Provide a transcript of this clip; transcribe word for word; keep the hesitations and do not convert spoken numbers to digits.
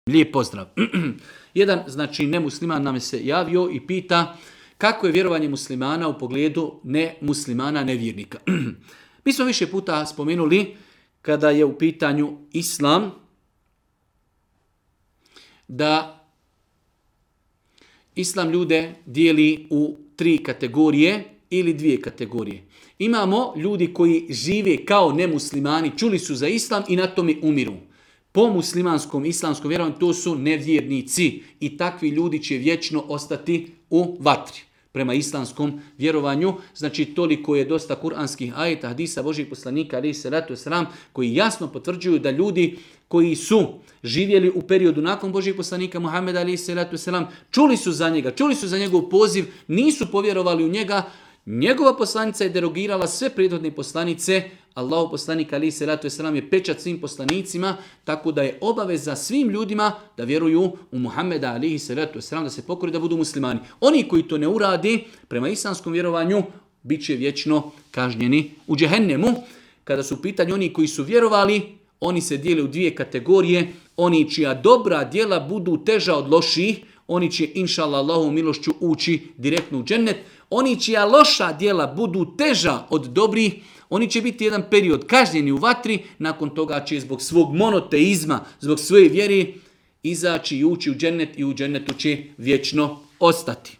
Lijep pozdrav. Jedan, znači, nemusliman nam se javio i pita kako je vjerovanje muslimana u pogledu nemuslimana, nevjernika. Mi smo više puta spomenuli kada je u pitanju islam da islam ljude dijeli u tri kategorije ili dvije kategorije. Imamo ljudi koji žive kao nemuslimani, čuli su za islam i na tome umiru. Po muslimanskom, islamskom vjerovanju to su nevjernici i takvi ljudi će vječno ostati u vatri. Prema islamskom vjerovanju, znači toliko je dosta kuranskih ajeta, hadisa Božih poslanika, alejhi selatu vesselam, koji jasno potvrđuju da ljudi koji su živjeli u periodu nakon Božih poslanika Muhameda, alejhi selatu vesselam, čuli su za njega, čuli su za njegov poziv, nisu povjerovali u njega. Njegova poslanica je derogirala sve prethodne poslanice. Allahov poslanik alejhi selatu vesselam je pečat svim poslanicima, tako da je obaveza svim ljudima da vjeruju u Muhameda alejhi selatu vesselam, da se pokore, da budu muslimani. Oni koji to ne uradi, prema islamskom vjerovanju, bit će vječno kažnjeni u džehennemu. Kada su u pitanju oni koji su vjerovali, oni se dijele u dvije kategorije. Oni čija dobra djela budu teža od loših, oni će inšallah Allahovom milošću ući direktno u džennet. Oni čija loša djela budu teža od dobrih, oni će biti jedan period kažnjeni u vatri, nakon toga će zbog svog monoteizma, zbog svoje vjere izaći i ući u džennet i u džennetu će vječno ostati.